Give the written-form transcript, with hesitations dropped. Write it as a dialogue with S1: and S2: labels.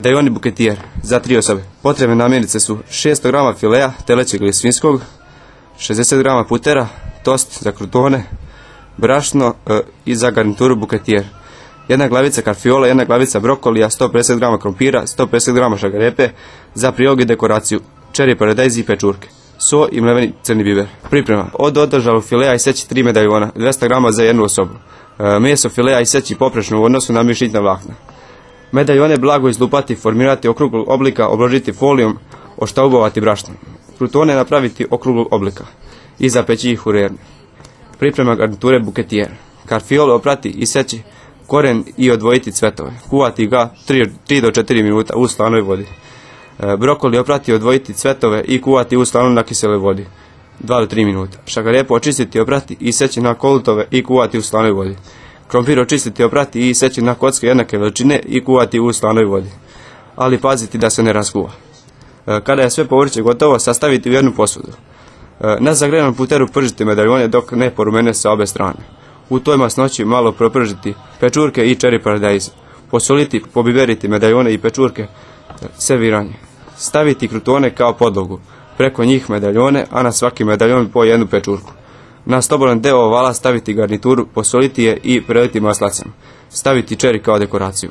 S1: Medaljoni buketijer za 3 osobe. Potrebne namirnice su 600 g filea telećeg ili svinjskog, 60 g putera, tost za krutone, brašno i za garnituru buketijer. 1 glavica karfiola, 1 glavica brokolija, 150 g krompira, 150 g šagarepe za prilog i dekoraciju, čeri paradajzi i pečurke, so i mleveni crni biber. Priprema: od održalog filea iseći 3 medaljona, 200 g za 1 osobu. Meso filea iseći poprečno u odnosu na mišićna vlakna. Medaljone blago izlupati, formirati okruglog oblika, obložiti folijom, oštaubovati brašnom. Krutone napraviti okruglog oblika i zapeći ih u rernu. Priprema garniture buketijer: karfiole oprati, iseći koren i odvojiti cvetove. Kuvati ga 3 do 4 minuta u slanoj vodi. Brokoli oprati, odvojiti cvetove i kuvati u slanoj nakiseloj vodi 2 do 3 minuta. Šagarepu očistiti, oprati, iseći na kolutove i kuvati u slanoj vodi. Krompir očistiti, oprati i iseći na kocke jednake veličine i kuvati u slanoj vodi, ali paziti da se ne raskuva. Kada je sve povrće gotovo, sastaviti u jednu posudu. Na zagrejanom puteru pržiti medaljone dok ne porumene sa obe strane. U toj masnoći malo propržiti pečurke i čeri paradajz. Posoliti, pobiberiti medaljone i pečurke, serviranje. Staviti krutone kao podlogu, preko njih medaljone, a na svaki medaljon po 1 pečurku. Na slobodan deo ovala staviti garnituru, posoliti je i preliti maslacem. Staviti čeri kao dekoraciju.